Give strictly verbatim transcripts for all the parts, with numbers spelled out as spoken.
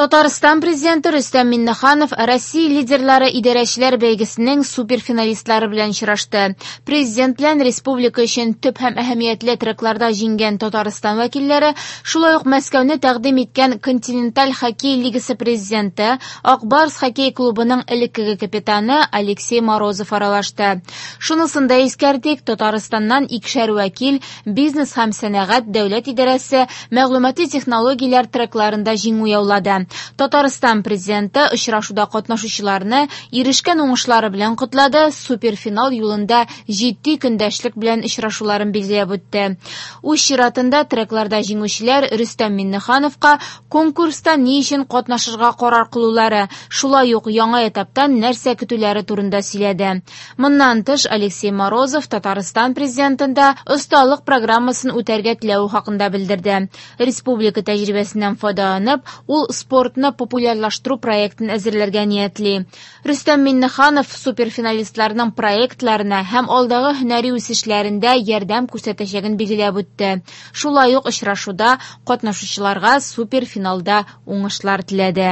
Татарстан Президенты Рөстәм Миңнеханов Россия лидерлары идарәчеләр бәйгесенең суперфиналистлары белән очрашты. Президент белән республика өчен төп һәм әһәмиятле трекларда җиңгән Татарстан вәкилләре, шулай ук Мәскәүне тәкъдим иткән Континенталь хоккей лигасы президенты, Ак Барс хоккей клубының элеккеге капитаны Алексей Морозов аралашты. Шунысын да искәртик, Татарстаннан икешәр вәкил бизнес һәм сәнәгать дәүләт идарәсе мәгълүмати технологияләр трекларында җиңү яулады. Татарстан президенты очрашуда катнашучыларны ирешкән уңышлары белән котлады, суперфинал юлында җитди көндәшлек белән очрашуларын билгеләп үтте. Үз чиратында трекларда җиңүчеләр Рөстәм Миңнехановка конкурста ни өчен катнашырга карар кылулары, шулай ук яңа этаптан нәрсә көтүләре турында сөйләде. Моннан тыш Алексей Морозов Татарстан президентында осталык программасын үтәргә теләве хакында белдерде. Республика тәҗрибәсеннән файдаланып, ул спортны популярлаштыру проектын әзерләргә ниятли. Рөстәм Миңнеханов суперфиналистларның проектларына һәм алдагы һөнәри үсешләрендә ярдәм күрсәтәчәген билгеләп үтте. Шулай ук очрашуда катнашучыларга суперфиналда уңышлар теләде.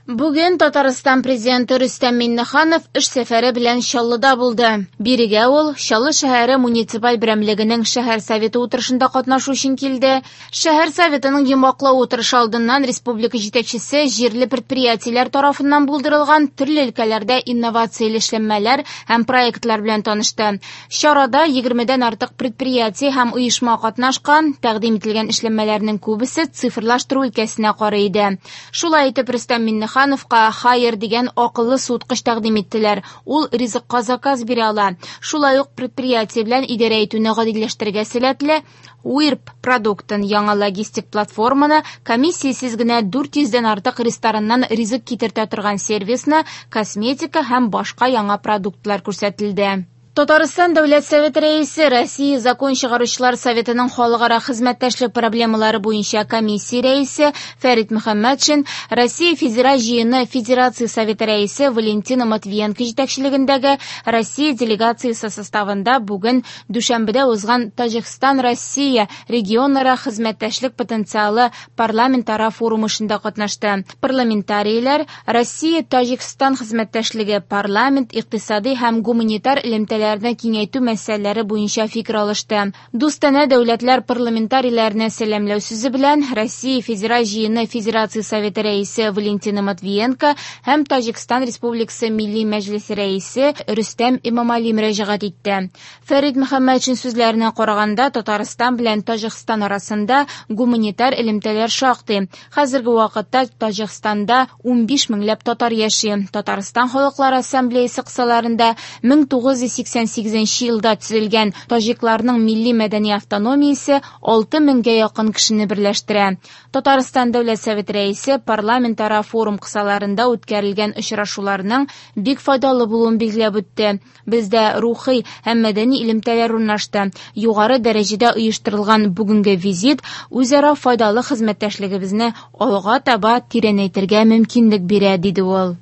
Бүген Татарстан президенты Рөстәм Миңнеханов эш сәфәре белән Чаллыда булды. Бирегә ул Чаллы шәһәре муниципаль берәмлегенең шәһәр советы утырышында катнашу өчен килде. Шәһәр советының йомгаклау утырышы алдыннан республика җитәкчесе җирле предприятиеләр тарафыннан булдырылган төрле өлкәләрдә инновацияле эшләнмәләр һәм проектлар белән танышты. Чарада егермедән артык предприятие һәм оешма катнашкан, тәкъдим ителгән эшләнмәләрнең күбесе цифрлаштыру өлкәсенә карый иде. Шулай итеп Рөстәм Миңнеханов Миңнехановка «Хайер» дигән акыллы суыткыч тәкъдим иттеләр. Ул ризыкка заказ бирә ала. Шулай ук предприятие белән идарә итүне гадиләштерергә сәләтле Уирп продуктын, яңа логистик платформаны, комиссиясез генә дүрт йөздән артык рестораннан ризык китертә торган сервисны, косметика һәм башка яңа продуктлар күрсәтелде. Татарстан Дәүләт Советы рәисе, Россия Закон чыгаручылар Советының халыкара хезмәттәшлек проблемалары буенча комиссия рәисе Фәрит Мөхәммәтшин, Россия Федераль җыены Федерация Советы рәисе Валентина Матвиенко җитәкчелегендәге Россия делегациясе составында бүген Дүшәмбедә узган Таҗикстан-Россия регионара хезмәттәшлек потенциалы парламентара форумы эшендә катнашты. Парламентарийлар Россия-Таҗикстан хезмәттәшлеге парламент, икътисади һәм гуманитар элемтәләр киңәйтү мәсьәләләре буенча фикер алышты. Дустанә дәүләтләр парламентарийләренә сәламләү сүзе белән Россия Федераль җыены Федерация Советы рәисе Валентина Матвиенко һәм Таҗикстан Республикасы Милли Мәҗлесе рәисе Рөстәм Эмомали мөрәҗәгать итте. Фәрит Мөхәммәтшин сүзләренә караганда, Татарстан белән Таҗикстан арасында гуманитар элемтәләр шактый. Хәзерге вакытта Таҗикстанда унбиш меңләп татар яши. Татарстан халыклар ассамблеясы кысаларында мең тугыз йөз сиксән сигезенче елда төзелгән таҗикларның милли мәдәни автономиясе алты меңгә якын кешене берләштерә. Татарстан Дәүләт Советы рәисе парламентара форум кысаларында үткәрелгән очрашуларның бик файдалы булуын билгеләп үтте. Бездә рухи һәм мәдәни элемтәләр урнашты. Югары дәрәҗәдә оештырылган бүгенге визит үзара файдалы хезмәттәшлегебезне алга таба тирәнәйтергә мөмкинлек бирә, диде ул.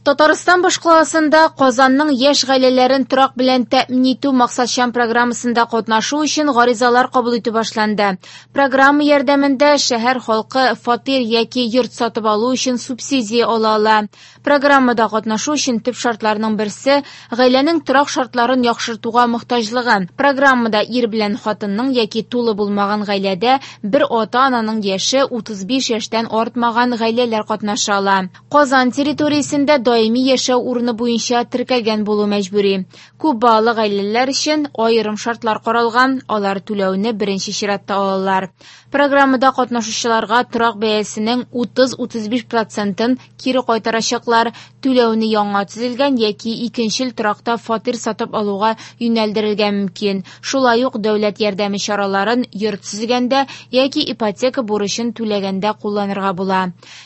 Татарстан башкаласында Казанның яшь гаиләләрен торак белән тәэмин итү максатчан программасында катнашу өчен гаризалар кабул итү башланды. Программа ярдәмендә шәһәр халкы фатир яки йорт сатып алу өчен субсидия ала ала. Программада катнашу өчен төп шартларның берсе гаиләнең торак шартларын яхшыртуга мохтаҗлыгы. Программада ир белән хатынның яки тулы булмаган гаиләдә бер ата-ананың яше утыз биш яшьтән артмаган гаиләләр катнаша ала. Казан территориясендә даими яшәү урыны буенча теркәлгән булу мәҗбүри. Күп балалы гаиләләр өчен аерым шартлар каралган, алар түләүне беренче чиратта алалар. Программада катнашучыларга торак бәясенең утыз-утыз биш процентын кире кайтарачаклар, түләүне яңа төзелгән яки икенчел торакта фатир сатып алуга юнәлдерергә мөмкин. Шулай ук дәүләт ярдәме чараларын йорт төзегәндә яки ипотека бурычын түләгәндә кулланырга була.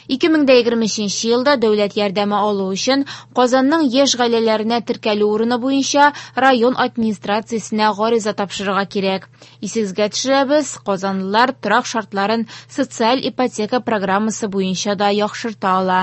ике мең дә егерме өченче елда дәүләт ярдәме алу өчен Казанның яшь гаиләләренә теркәлү урыны буенча район администрациясенә гариза тапшырырга кирәк. Исегезгә төшерәбез, казанлылар торак шартларын социаль ипотека программасы буенча да яхшырта ала.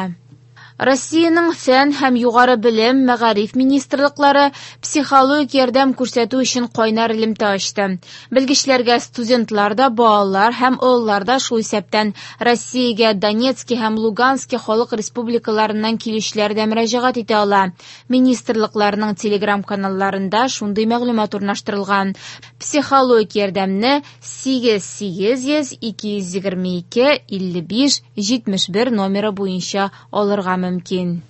Россиянең фән һәм югары белем, мәгариф министрлыклары психологик ярдәм күрсәтү өчен кайнар элемтә ачты. Белгечләргә студентлар да, балалар һәм олылар да, шул исәптән Россиягә Донецки һәм Лугански халык республикаларыннан килүчеләр дә мөрәҗәгать итә ала. Министрлыкларның телеграм-каналларында шундый мәгълүмат урнаштырылган. Психологик ярдәмне сигез сигез йөз ике йөз егерме ике илле биш җитмеш бер номеры буенча алырга мөмкин.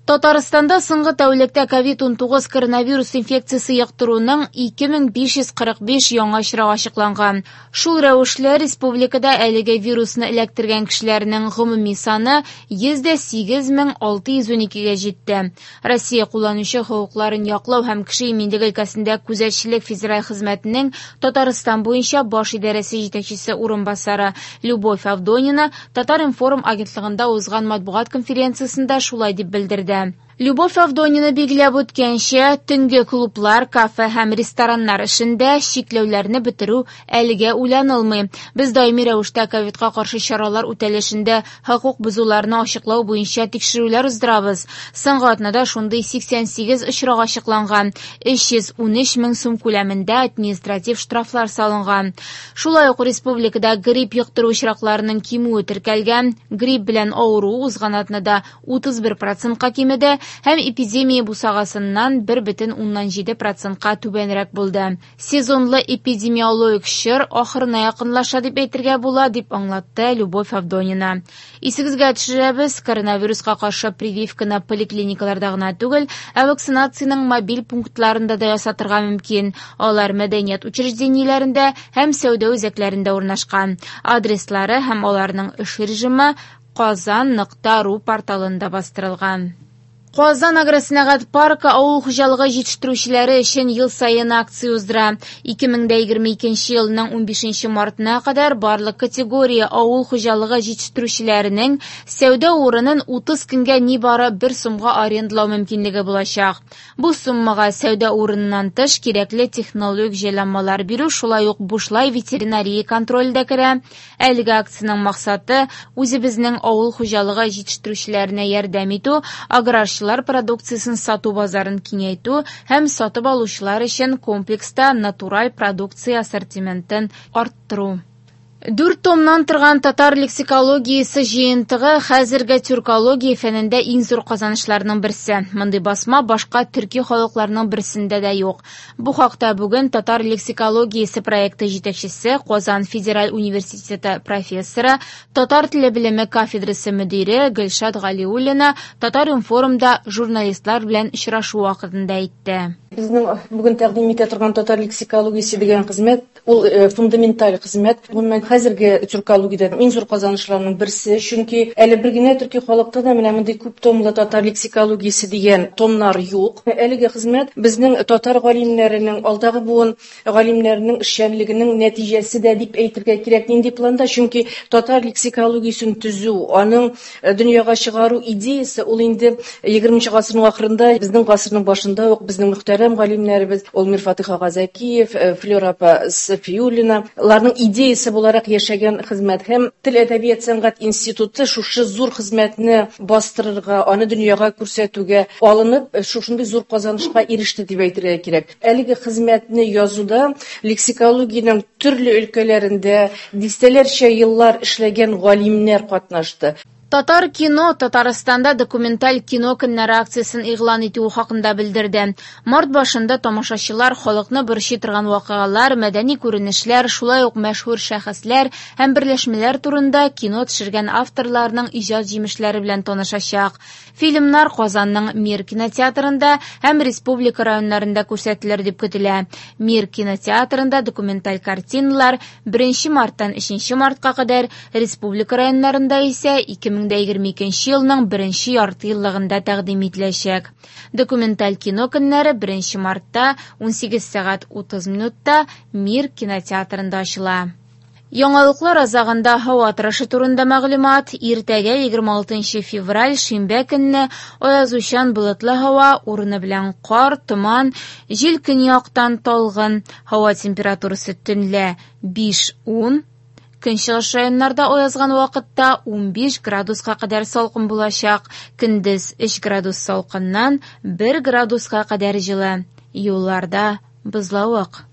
Татарстанда соңгы тәүлектә ковид унтугыз коронавирус инфекциясе йоктыруның ике мең биш йөз кырык биш яңа очрагы ачыкланган. Шул рәвешле республикада әлеге вирусны эләктергән кешеләрнең гомуми саны йөз дә сигез мең алты йөз уникегә җитте. Россия кулланучы хокукларын яклау һәм кеше иминлеге өлкәсендә күзәтчелек федераль хезмәтенең Татарстан буенча баш идарәсе җитәкчесе урынбасары Любовь Авдонина Татар-информ агентлыгында узган матбугат конференциясендә шулай дип белдерде. Любовь Авдонина билгеләп үткәнчә, төнге клублар, кафе һәм рестораннар эшендә чикләүләрне бетерү әлегә уйланылмый. Без даими рәвештә ковидка каршы чаралар үтәлешендә хокук бозуларны ачыклау буенча тикшерүләр уздырабыз. Соңгы атнада шундый сиксән сигез очрак ачыкланган, өч йөз унөч мең сум күләмендә административ штрафлар салынган. Шулай ук республикада грипп йоктыру очракларының кимүе теркәлгән. Грипп белән авыру узган атнада утыз бер процентка кимеде һәм эпидемия бусагасыннан бер бөтен уннан җиде процентка түбәнрәк булды. Сезонлы эпидемиологик чор ахырына якынлаша дип әйтергә була, дип аңлатты Любовь Авдонина. Исегезгә төшерәбез, коронавируска каршы прививканы поликлиникаларда гына түгел, ә вакцинациянең мобиль пунктларында да ясатырга мөмкин. Алар мәдәният учреждениеләрендә һәм сәүдә үзәкләрендә урнашкан. Адреслары һәм аларның эш режимы казан нокта ру порталында бастырылган. Казан агросәнәгать паркы авыл хуҗалыгы җитештерүчеләре өчен ел саен акция уздыра. ике мең дә егерме икенче елның унбишенче мартына кадәр барлык категория авыл хуҗалыгы җитештерүчеләренең сәүдә урынын утыз көнгә нибары бер сумга арендалау мөмкинлеге булачак. Бу суммага сәүдә урыныннан тыш кирәкле технологик җайланмалар бирү, шулай ук бушлай ветеринария контроле дә керә. Әлеге акциянең максаты үзебезнең авыл хуҗалыгы җитештерүчеләренә ярдәм итү, аграрчылар продукциясен сату базарын киңәйтү һәм сатып алучылар өчен комплекста натураль продукция ассортиментын арттыру. Дүрт томнан торган татар лексикологиясе җыентыгы хәзерге тюркология фәнендә иң зур казанышларның берсе. Мондый басма башка төрки халыкларның берсендә дә юк. Бу хакта бүген татар лексикологиясе проекты җитәкчесе, Казан федераль университеты профессоры, татар теле белеме кафедрасы мөдире Гөлшат Галиуллина Татар-информда журналистлар белән очрашу вакытында әйтте. Безнең бүген тәкъдим итә торган татар лексикологиясе дигән хезмәт, ул фундаменталь хезмәт. Гомумән, хәзерге тюркологиядә иң зур казанышларның берсе, чөнки әле бер генә төрки халыкта да менә мондый күп томлы татар лексикологиясе дигән томнар юк. Әлеге хезмәт безнең татар галимнәренең, алдагы буын галимнәренең эшчәнлегенең нәтиҗәсе дә дип әйтергә кирәк. Нинди планда? Чөнки татар лексикологиясен төзү, аның дөньяга чыгару идеясе ул инде егерменче гасырның ахырында, безнең гасырның башында ук безнең мөхтәрәм галимнәребез Олмир Фатих ага Зәкиев, Флёра апа Сафиуллина, аларның идеясе буларак яшәгән хезмәт. Һәм Тел әдәбият сәнгать институты шушы зур хезмәтне бастырырга, аны дөньяга күрсәтүгә алынып, шушындый зур казанышка иреште дип әйтергә кирәк. Әлеге хезмәтне язуда лексикологиянең төрле өлкәләрендә дистәләрчә еллар эшләгән галимнәр катнашты. Татар кино Татарстанда документаль кино көннәре акциясен игълан итү хакында белдерде. Март башында тамашачылар халыкны борчый торган вакыйгалар, мәдәни күренешләр, шулай ук мәшһүр шәхесләр һәм берләшмәләр турында кино төшергән авторларның иҗат җимешләре белән танышачак. Фильмнар Казанның Мир кинотеатрында һәм республика районнарында күрсәтелер дип көтелә. Мир кинотеатрында документаль картиналар беренче марттан өченче мартка кадәр, республика районнарында исә ике мең егерме икенче елның беренче ярты еллыгында тәкъдим ителәчәк. Документаль кино көннәре беренче мартта унсигез сәгать утыз минутта Мир кинотеатрында ачыла. Яңалыклар азагында һава торышы турында мәгълүмат. Иртәгә егерме алтынчы февраль шимбә көнне аязучан болытлы һава, урыны белән кар, томан, җил көньяктан талгын, һава температурасы төнлә биш-ун, Көнчыгыш районнарда аязган вакытта унбиш градуска кадәр салкын булачак. Көндез өч градус салкыннан бер градуска кадәр җылы. Юлларда бозлавык.